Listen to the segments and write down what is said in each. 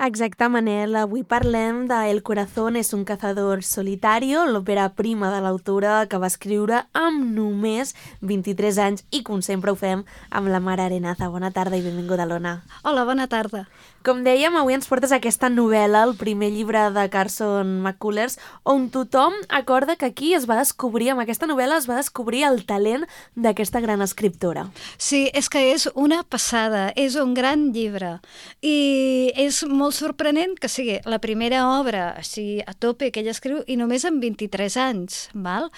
Exacte, Manel. Avui parlem de El corazón es un cazador solitario, l'òpera prima de l'autora que va escriure amb només 23 anys i, com sempre ho fem, amb la Mar Arenaza. Bona tarda i benvinguda, l'Ona. Hola, bona tarda. Com dèiem, avui ens portes aquesta novel·la, el primer llibre de Carson McCullers, on tothom acorda que aquí es va descobrir, amb aquesta novel·la es va descobrir el talent d'aquesta gran escriptora. Sí, és que és una passada, és un gran llibre i és molt sorprenent que sigui la primera obra així a tope que ella escriu i només amb 23 anys, val?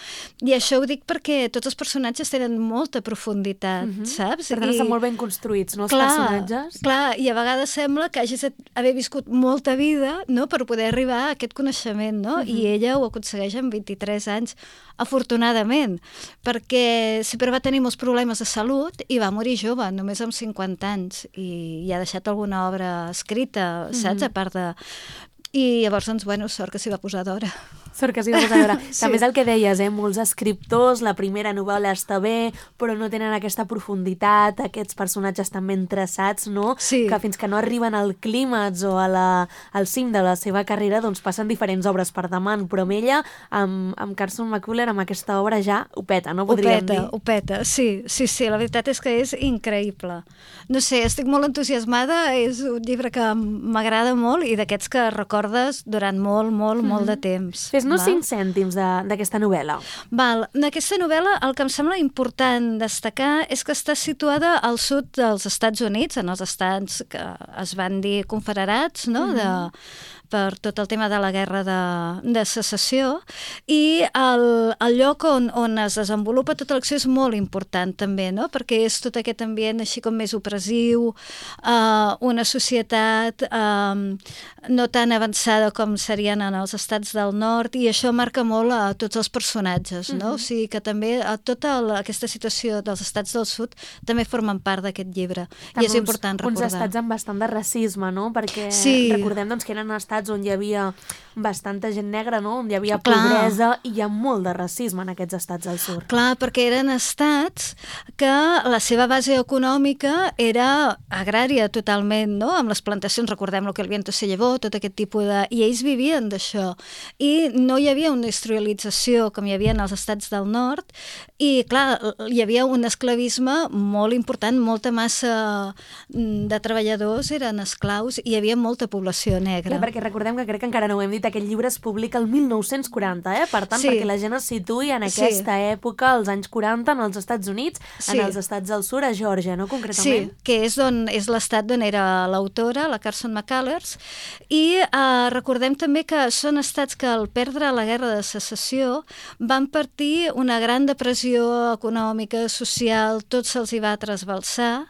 I això ho dic perquè tots els personatges tenen molta profunditat, saps? Per tant, estan molt ben construïts, no, els Clar, personatges? clar, i a vegades sembla que hagis d'haver viscut molta vida, no?, per poder arribar a aquest coneixement, no? I ella ho aconsegueix amb 23 anys, afortunadament, perquè sempre va tenir molts problemes de salut i va morir jove, només amb 50 anys, i ha deixat alguna obra escrita, saps?, a part de... I llavors, doncs, bueno, sort que s'hi va posar d'hora. Sort que s'hi va posar d'hora. Sí. També és el que deies, molts escriptors, la primera novel·la està bé, però no tenen aquesta profunditat, aquests personatges tan ben traçats, no? Sí. Que fins que no arriben al clímax o al cim de la seva carrera, doncs passen diferents obres per davant, però amb ella, amb Carson McCullers, amb aquesta obra ja ho peta, no podríem dir? Ho peta, sí, la veritat és que és increïble. No sé, estic molt entusiasmada, és un llibre que m'agrada molt i d'aquests que recordes durant molt de temps. Fes-nos 5 cèntims d'aquesta novel·la. Val, d'aquesta novel·la el que em sembla important destacar és que està situada al sud dels Estats Units, en els estats que es van dir confederats, no?, per tot el tema de la guerra de secessió, i el lloc on es desenvolupa tota l'acció és molt important també, no?, perquè és tot aquest ambient així com més opressiu, una societat no tan avançada com serien en els estats del nord, i això marca molt a tots els personatges, no? O sigui que també tota aquesta situació dels estats del sud també formen part d'aquest llibre, i és important recordar. Uns estats amb bastant de racisme, no? Perquè recordem doncs, que eren estats on hi havia bastanta gent negra, no? On hi havia pobresa, i hi ha molt de racisme en aquests estats del sud. Clar, perquè eren estats que la seva base econòmica era agrària totalment, no?, amb les plantacions, recordem lo que el viento se llevó, tot aquest tipus de... I ells vivien d'això. I no hi havia una industrialització com hi havia en els estats del nord, i clar, hi havia un esclavisme molt important, molta massa de treballadors eren esclaus i hi havia molta població negra. Clar, perquè recordem que crec que encara no ho hem dit, aquest llibre es publica el 1940, per tant, perquè la gent es situï en aquesta època, als anys 40, en els Estats Units, en els estats del sud, a Geòrgia, no?, concretament? Sí, que és l'estat d'on era l'autora, la Carson McCullers, i recordem també que són estats que al perdre la guerra de secessió van patir una gran depressió econòmica, social, tot se'ls hi va trasbalsar,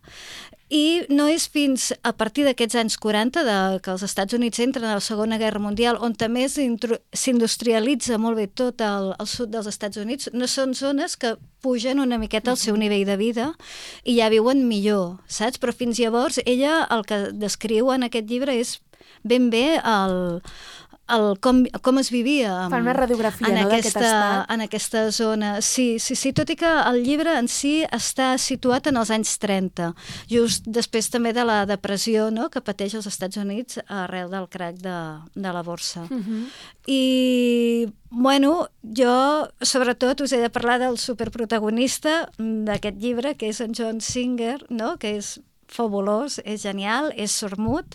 i no és fins a partir d'aquests anys 40 que els Estats Units entren a la Segona Guerra Mundial, on també s'industrialitza molt bé tot el sud dels Estats Units, no són zones que pugen una miqueta el seu nivell de vida i ja viuen millor, saps? Però fins llavors ella el que descriu en aquest llibre és ben bé com es vivia Fan una radiografia, no?, d'aquest estat. En aquesta zona. Sí, tot i que el llibre en si està situat en els anys 30, just després també de la depressió, no?, que pateix els Estats Units arrel del crac de la borsa. I, bueno, jo sobretot us he de parlar del superprotagonista d'aquest llibre, que és en John Singer, no?, que és fabulós, és genial, és sordmut.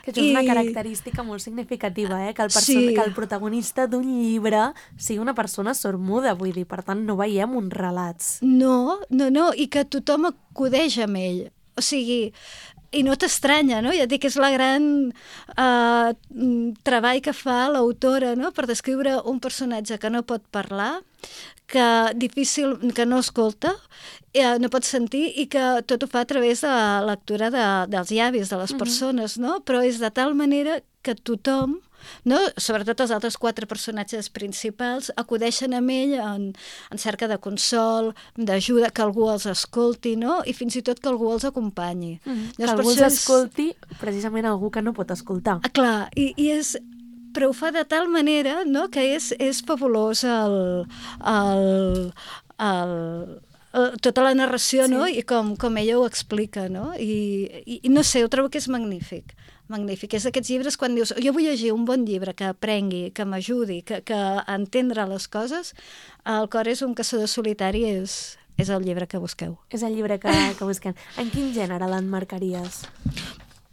Que això és una característica molt significativa, que el protagonista d'un llibre sigui una persona sordmuda, vull dir, per tant no veiem uns relats. No, i que tothom acudeix amb ell. O sigui, i no t'estranya, no? Ja et dic que és la gran treball que fa l'autora, no?, per descriure un personatge que no pot parlar, que no escolta, no pot sentir, i que tot ho fa a través de la lectura dels llavis de les persones, no? Però és de tal manera que tothom, no?, sobretot els altres 4 personatges principals, acudeixen amb ell en cerca de consol, d'ajuda, que algú els escolti, no?, i fins i tot que algú els acompanyi. Que algú els escolti, precisament algú que no pot escoltar. Clar, i és... Però ho fa de tal manera, no?, que és fabulós tota la narració, no?, i com ella ho explica, no? I no sé, ho trobo que és magnífic. magnífic. És d'aquests llibres quan dius, jo vull llegir un bon llibre que aprengui, que m'ajudi, que entendre les coses, El cor és un caçador solitari és el llibre que busqueu. És el llibre que busquem. En quin gènere l'emmarcaries?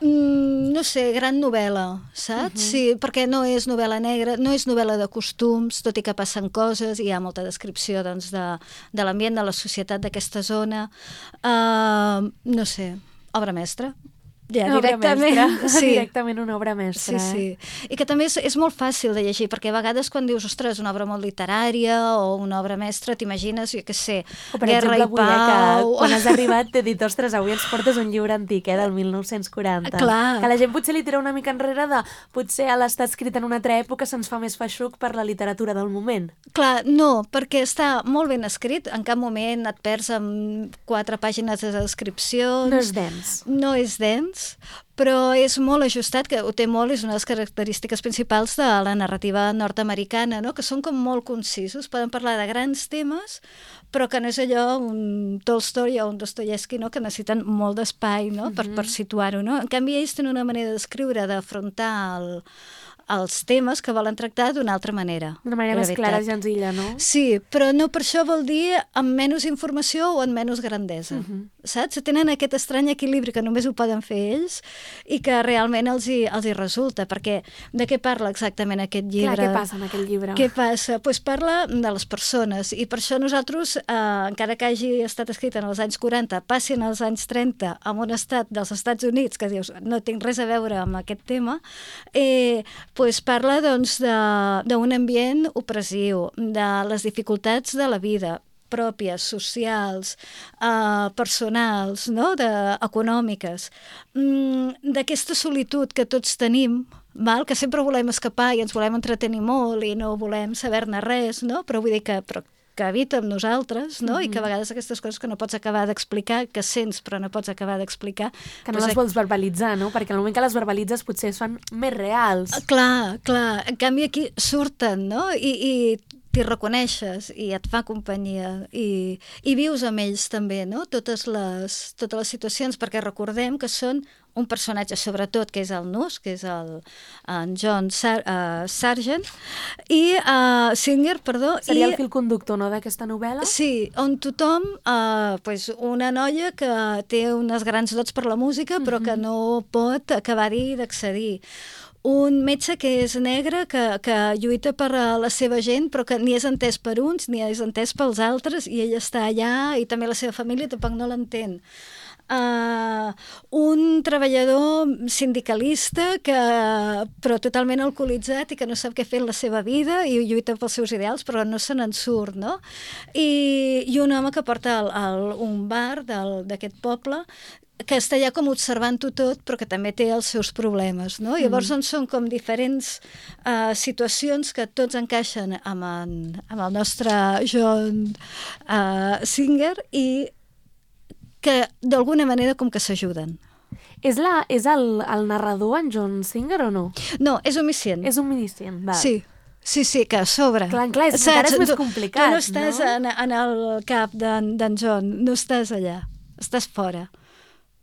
No sé, gran novel·la, saps? Sí, perquè no és novel·la negra, no és novel·la de costums, tot i que passen coses, hi ha molta descripció doncs, de l'ambient, de la societat d'aquesta zona. No sé, obra mestra. Ja, directament. Sí. Directament una obra mestra. Sí. I que també és molt fàcil de llegir, perquè a vegades quan dius, ostres, una obra molt literària o una obra mestra, t'imagines, jo què sé, Guerra i Pau... que quan has arribat t'he dit, ostres, avui ens portes un llibre antic, del 1940. Clar. Que la gent potser li tira una mica enrere de potser a l'estar escrit en una altra època se'ns fa més feixuc per la literatura del moment. Clar, no, perquè està molt ben escrit, en cap moment et perds amb 4 pàgines de descripcions. No és dens. No és dens, però és molt ajustat, que ho té molt, és una de les característiques principals de la narrativa nord-americana, no? Que són com molt concisos, poden parlar de grans temes, però que no és allò un Tolstoi o un Dostoyevsky, no? Que necessiten molt d'espai, no? Per situar-ho, no? En canvi, ells tenen una manera d'escriure, d'afrontar els temes que volen tractar d'una altra manera. D'una manera més clara i senzilla, no? Sí, però no per això vol dir amb menys informació o amb menys grandesa, saps? Tenen aquest estrany equilibri que només ho poden fer ells i que realment els hi resulta, perquè de què parla exactament aquest llibre? Clar, què passa en aquest llibre? Què passa? Doncs parla de les persones, i per això nosaltres, encara que hagi estat escrit en els anys 40, passin als anys 30 en un estat dels Estats Units, que dius, no tinc res a veure amb aquest tema, pues parla doncs, d'un ambient opressiu, de les dificultats de la vida, pròpies, socials, personals, no? Econòmiques, d'aquesta solitud que tots tenim, que sempre volem escapar i ens volem entretenir molt i no volem saber-ne res, no? Però vull dir que habita amb nosaltres, no? I que a vegades aquestes coses que no pots acabar d'explicar, que sents però no pots acabar d'explicar... Que no les vols verbalitzar, no? Perquè al moment que les verbalitzes potser es fan més reals. Clar. En canvi aquí surten, no? I t'hi reconeixes i et fa companyia i vius amb ells també, no? Totes les situacions, perquè recordem que són un personatge sobretot, que és el Nus, que és en John Sargent, i Singer, perdó. Seria el fil conductor, no, d'aquesta novel·la? Sí, on tothom, una noia que té unes grans dots per la música, però que no pot acabar-hi d'accedir. Un metge que és negre, que lluita per la seva gent, però que ni és entès per uns, ni és entès pels altres, i ell està allà, i també la seva família tampoc no l'entén. Un treballador sindicalista però totalment alcoholitzat i que no sap què fer en la seva vida i lluita pels seus ideals però no se n'en surt, no? I un home que porta un bar d'aquest poble que està allà com observant-ho tot però que també té els seus problemes, no? Llavors són com diferents situacions que tots encaixen amb el nostre John Singer i que d'alguna manera com que s'ajuden. És el narrador, en John Singer, o no? No, és omniscient. És omniscient, val. Sí, que a sobre. Clar, encara és més complicat, no? Tu no estàs en el cap d'en John, no estàs allà, estàs fora.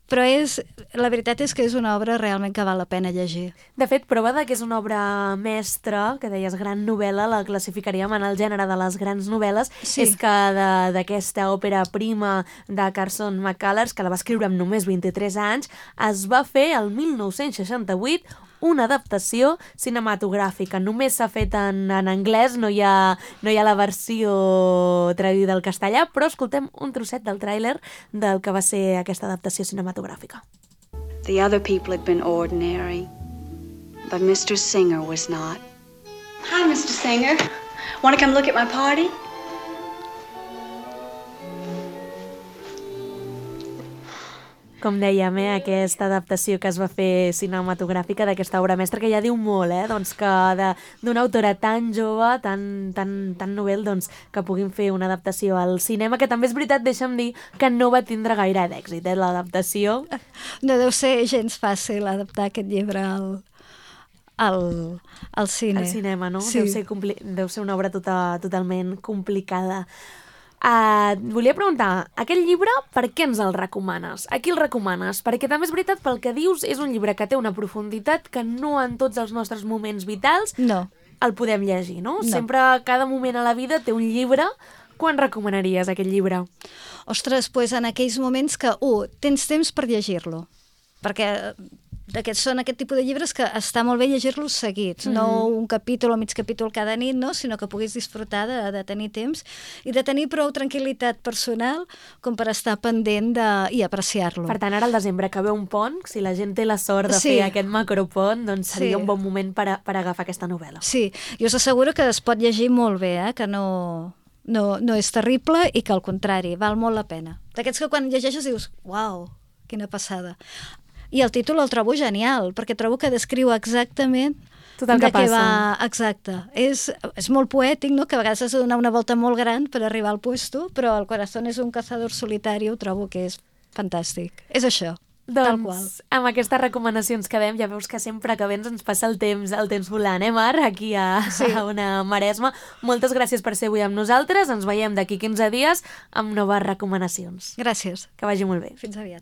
Però la veritat és que és una obra realment que val la pena llegir. De fet, prova que és una obra mestra, que deies gran novel·la, la classificaríem en el gènere de les grans novel·les, és que d'aquesta òpera prima de Carson McCullers, que la va escriure amb només 23 anys, es va fer el 1968 una adaptació cinematogràfica. Només s'ha fet en anglès, no hi ha la versió traduïda al castellà, però escoltem un trosset del tràiler del que va ser aquesta adaptació cinematogràfica. The other people had been ordinary, but Mr. Singer was not. Hi, Mr. Singer. Want to come look at my party? Com dèiem, aquesta adaptació que es va fer cinematogràfica d'aquesta obra mestra, que ja diu molt, doncs que d'una autora tan jove, tan novel, doncs que puguin fer una adaptació al cinema, que també és veritat, deixa'm dir, que no va tindre gaire d'èxit, l'adaptació. No deu ser gens fàcil adaptar aquest llibre al cine. Al cinema, no? Sí. Deu ser una obra totalment complicada. Et volia preguntar, aquest llibre, per què ens el recomanes? A qui el recomanes? Perquè també és veritat, pel que dius, és un llibre que té una profunditat que no en tots els nostres moments vitals el podem llegir, no? Sempre, cada moment a la vida té un llibre. Quan recomanaries aquest llibre? Ostres, doncs en aquells moments que, tens temps per llegir-lo. Perquè són aquest tipus de llibres que està molt bé llegir-los seguits, no un capítol o mig capítol cada nit, no? Sinó que puguis disfrutar de tenir temps i de tenir prou tranquil·litat personal com per estar pendent i apreciar-lo. Per tant, ara al desembre que ve un pont, si la gent té la sort de fer aquest macropont, doncs seria un bon moment per agafar aquesta novel·la. Sí, i us asseguro que es pot llegir molt bé, que no és terrible i que al contrari, val molt la pena. D'aquests que quan llegeixes dius, uau, quina passada. I el títol el trobo genial, perquè trobo que descriu exactament tot el que passa. Va. Exacte. És molt poètic, no? Que a vegades has de donar una volta molt gran per arribar al puesto, però El corazón es un cazador solitario trobo que és fantàstic. És això. Tal qual. Doncs amb aquestes recomanacions que dèiem, ja veus que sempre que vens ens passa el temps volant, Mar? Aquí a una Maresma. Moltes gràcies per ser avui amb nosaltres. Ens veiem d'aquí 15 dies amb noves recomanacions. Gràcies. Que vagi molt bé. Fins aviat.